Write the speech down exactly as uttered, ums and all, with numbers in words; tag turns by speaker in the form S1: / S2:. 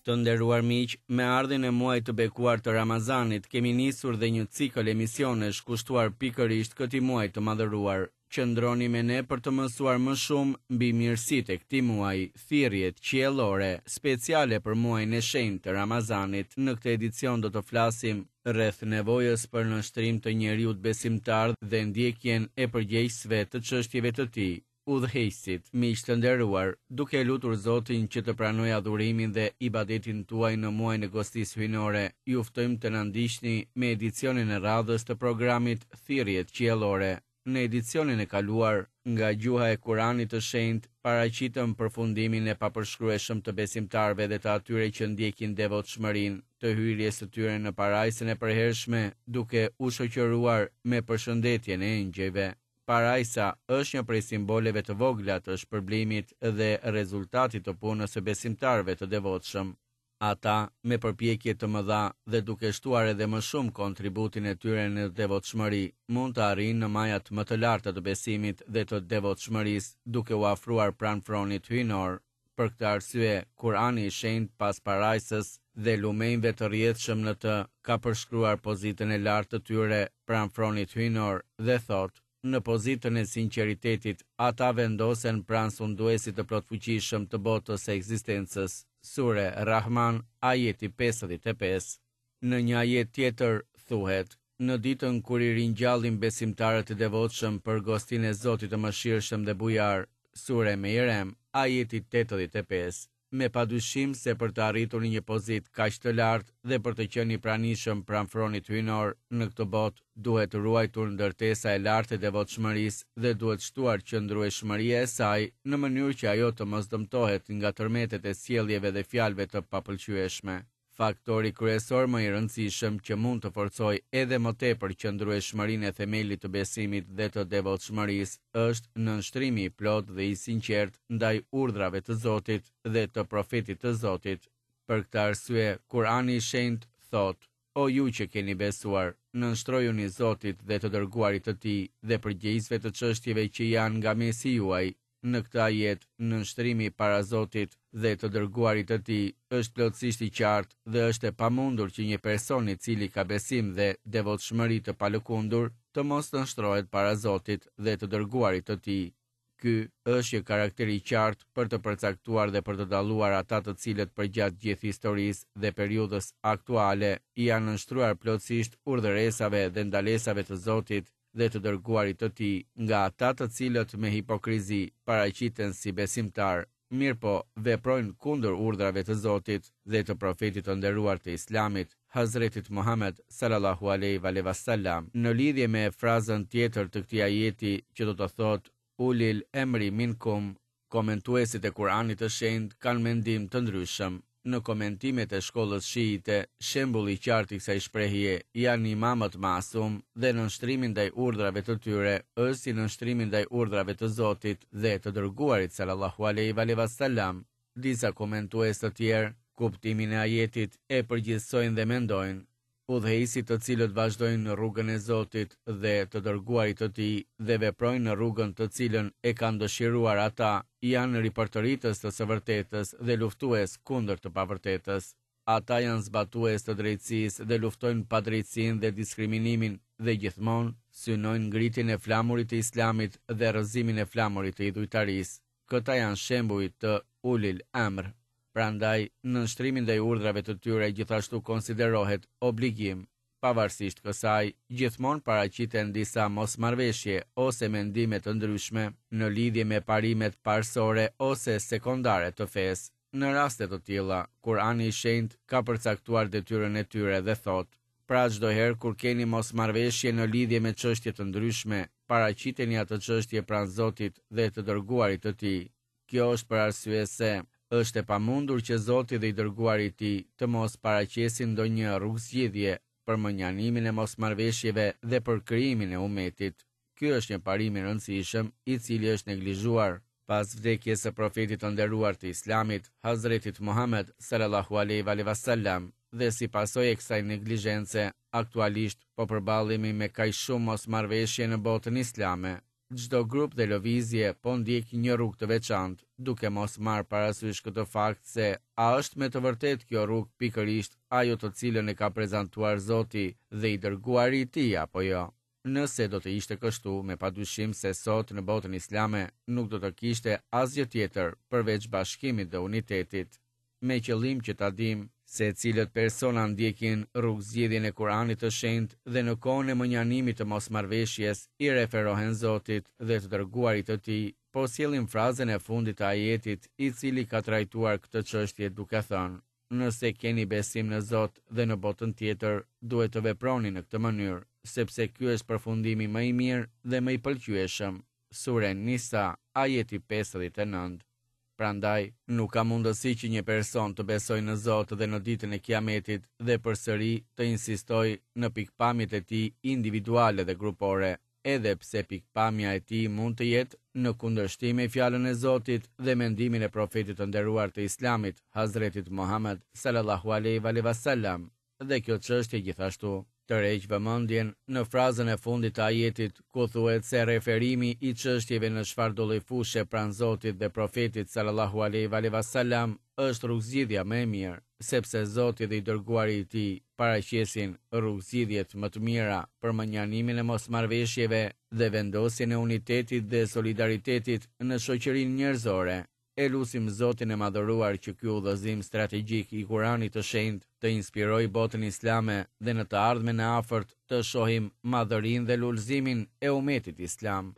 S1: Të nderuar miq, me ardhjen e muajit të bekuar të Ramazanit kemi nisur dhe një cikël emisionesh kushtuar pikërisht këtij muaji të madhëruar. Qëndroni me ne për të mësuar më shumë mbi mirësitë e këtij muaji, thirrjet qiellore speciale për muajin e shenjtë të Ramazanit. Në këtë edicion do të flasim rreth nevojës për nënshtrim të njeriut besimtar dhe ndjekjen e përgjegjësve të çështjeve të tij. Udhëheqësit, miq të nderuar, duke e lutur Zotin që të pranojë adhurimin dhe ibadetin tuaj në muajin e gostisë hyjnore, ju ftojmë të na ndiqni me edicionin e radhës të programit Thirrjet Qiellore. Në edicionin e kaluar, nga gjuha e Kuranit të Shenjtë, paraqitëm përfundimin e papërshkrueshëm të besimtarëve dhe të atyre që ndjekin devotshmërinë, të hyrjes së tyre në parajsën e përhershme, duke u shoqëruar me përshëndetjen e engjëjve. Parajsa është një prej simboleve të vogla të shpërblimit dhe rezultatit të punës së besimtarëve të devotshëm. Ata, me përpjekje të mëdha dhe duke shtuar edhe më shumë kontributin e tyre në devotshmëri, mund të arrijnë në majat më të larta të besimit dhe të devotshmërisë, duke u afruar pranë fronit hyjnor. Për këtë arsye, Kurani i Shenjtë pas parajsës dhe lumenjve të rrjedhshëm në të ka përshkruar pozitën e lartë të tyre pranë fronit hyjnor dhe thotë: Në pozitën e sinqeritetit, ata vendosen pranë sunduesit të plotfuqishëm të botës së ekzistencës. Sure Rahman, ajeti pesëdhjetë e pesë. Në një ajet tjetër thuhet: Në ditën kur i ringjallim besimtarët e devotshëm për gostinë e Zotit të mëshirshëm dhe bujar. Sure Mejrem, ajeti tetëdhjetë e pesë. Me padyshim se për të arritur në një pozitë kaq të lartë dhe për të qenë i pranishëm pranë fronit hyjnor në këtë botë, duhet ruajtur ndërtesa e lartë e devotshmërisë dhe duhet shtuar qëndrueshmëria e saj në mënyrë që ajo të mos dëmtohet nga tërmetet e sjelljeve dhe fjalëve të papëlqyeshme. Faktori kryesor më i rëndësishëm që mund të forcojë edhe më tepër qëndrueshmërinë e themelit të besimit dhe të devotshmërisë është nënshtrimi i plotë dhe i sinqert ndaj urdhrave të Zotit dhe të profetit të Zotit. Për këtë arsye, Kurani i Shenjtë thotë: O ju që keni besuar, nënshtrojuni Zotit dhe të dërguarit të Tij dhe përgjegjësve të çështjeve që janë nga mesi juaj. Në këtë ajet, nënshtrimi para Zotit dhe të dërguarit të Tij është plotësisht i qartë dhe është e pamundur që një person i cili ka besim dhe devotshmëri të palëkundur të mos nënshtrohet para Zotit dhe të dërguarit të Tij. Ky është një karakter i qartë për të përcaktuar dhe për të dalluar ata të cilët përgjatë gjithë historisë dhe periudhës aktuale i janë nënshtruar plotësisht urdhëresave dhe ndalesave të Zotit dhe të dërguarit të Tij, nga ata të cilët me hipokrizi paraqiten si besimtar, mirëpo veprojnë kundër urdhrave të Zotit dhe të profetit të nderuar të Islamit, Hazretit Muhammed sallallahu alaihi wa sallam. Në lidhje me frazën tjetër të këtij ajeti që do të thotë Ulil emri minkum, komentuesit e Kuranit të Shenjtë kanë mendim të ndryshëm. Në komentimet e shkollës shiite, shembulli i qartë i kësaj shprehje janë imamët masum dhe nënshtrimi ndaj urdhrave të tyre është si nënshtrimi ndaj urdhrave të Zotit dhe të dërguarit sallallahu alaihi wa sallam. Disa komentues të tjerë kuptimin e ajetit e përgjithsojnë dhe mendojnë: Udhëheqësit të cilët vazhdojnë në rrugën e Zotit dhe të dërguarit të Tij dhe veprojnë në rrugën të cilën e kanë dëshiruar ata, janë ripërtëritës të së vërtetës dhe luftues kundër të pavërtetës. Ata janë zbatues të drejtësisë dhe luftojnë padrejtësinë dhe diskriminimin dhe gjithmonë synojnë ngritjen e flamurit të Islamit dhe rrëzimin e flamurit të idhujtarisë. Këta janë shembuj të Ulil Amr. Prandaj, nënshtrimi ndaj urdhrave të tyre gjithashtu konsiderohet obligim. Pavarësisht kësaj, gjithmonë paraqiten disa mosmarrëveshje ose mendime të ndryshme në lidhje me parimet parësore ose sekondare të fesë. Në raste të tilla, Kurani i Shenjtë ka përcaktuar detyrën e tyre dhe thotë: Pra çdo herë kur keni mosmarrëveshje në lidhje me çështje të ndryshme, paraqiteni atë çështje pranë Zotit dhe të dërguarit të Tij. Kjo është për arsye se është e pamundur që Zoti dhe i dërguari i Tij të mos paraqesin ndonjë rrugëzgjidhje për mënjanimin e mosmarrëveshjeve dhe për krijimin e umetit. Ky është një parim i rëndësishëm i cili është neglizhuar pas vdekjes së profetit të nderuar të Islamit, Hazretit Muhammed sallallahu alaihi wa sallam, dhe si pasojë e kësaj neglizhence, aktualisht po përballemi me kaq shumë mosmarrëveshje në botën islame. Çdo grup dhe lëvizje po ndjek një rrugë të veçantë, duke mos marrë parasysh këtë fakt se a është me të vërtetë kjo rrugë pikërisht ajo të cilën e ka prezantuar Zoti dhe i dërguari i tij apo jo. Nëse do të ishte kështu, me padyshim se sot në botën islame nuk do të kishte asgjë tjetër përveç bashkimit dhe unitetit. Me qëllim që ta dimë se cilët persona ndjekin rrugëzgjidhjen e Kuranit të Shenjtë dhe në kohën e mënjanimit të mosmarrëveshjes i referohen Zotit dhe të dërguarit të tij, po sjellim frazën e fundit të ajetit i cili ka trajtuar këtë çështje duke thënë: Nëse keni besim në Zot dhe në botën tjetër, duhet të veproni në këtë mënyrë, sepse ky është përfundimi më i mirë dhe më i pëlqyeshëm. Sure Nisa, ajeti pesëdhjetë e nëntë. Prandaj, nuk ka mundësi që një person të besojë në Zot dhe në ditën e Kiametit dhe përsëri të insistojë në pikpamjet e tij individuale dhe grupore, edhe pse pikpamja e tij mund të jetë në kundërshtim me fjalën e Zotit dhe mendimin e profetit të nderuar të Islamit, Hazretit Muhammed sallallahu alaihi wa sallam. Dhe kjo çështje gjithashtu tërheq vëmendjen në frazën e fundit të ajetit, ku thuhet se referimi i çështjeve në çfarëdo lloj fushe pranë Zotit dhe profetit sallallahu alaihi wa sallam është rrugëzgjidhja më e mirë, sepse Zoti dhe i dërguari i tij paraqesin rrugëzgjidhjet më të mira për mënjanimin e mosmarrëveshjeve dhe vendosjen e unitetit dhe solidaritetit në shoqërinë njerëzore. E lusim Zotin e madhëruar që ky udhëzim strategjik i Kuranit të Shenjtë të inspirojë botën islame dhe në të ardhmen e afërt të shohim madhërinë dhe lulëzimin e umetit islam.